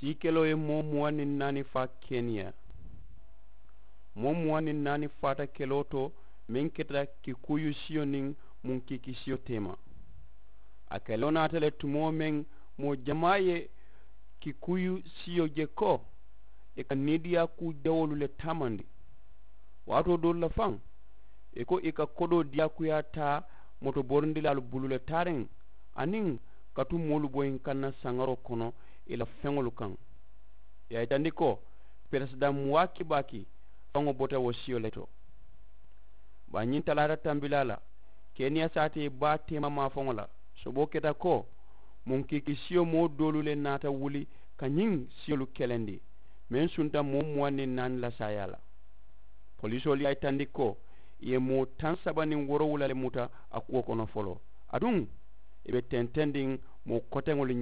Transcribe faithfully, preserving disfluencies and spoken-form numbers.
Sii keloo ye moo muwaŋ niŋ naani faa keniya. Moo muwaŋ niŋ naani faata keloo to meŋ keta kikuuyu siyo niŋ muŋ kiiki siyo teema. A keloo naata le tumoo meŋ moo jamaa ye kikuuyu siyo je ko ì ka niidiyaa kuu jawoolu le taamandi. Waatoo doolu la faŋ ì ko ì ka kodoo diyaakuyaa taa motoborindilaalu bulu le taariŋ aniŋ ka tu moolu boyiŋ kanna saŋaroo kono ì la feŋolu kaŋ. Ì ye a yitandi ko peresidaŋ muwaaki baaki faŋo bota wo siyo le to. Bari ñiŋ talaata tambilaa la keniya saatee baa teema maafaŋo la soboo keta ko muŋ kiiki siyo moo doolu le naata wuli ka ñiŋ siyolu kelendi meŋ sunta moo muwaŋ niŋ naani la saayaa la. Polisoolu ye a yitandi ko ì ye moo taŋ saba niŋ woorowula le muta a kuwo kono foloo aduŋ ì be tentendiŋ moo koteŋolu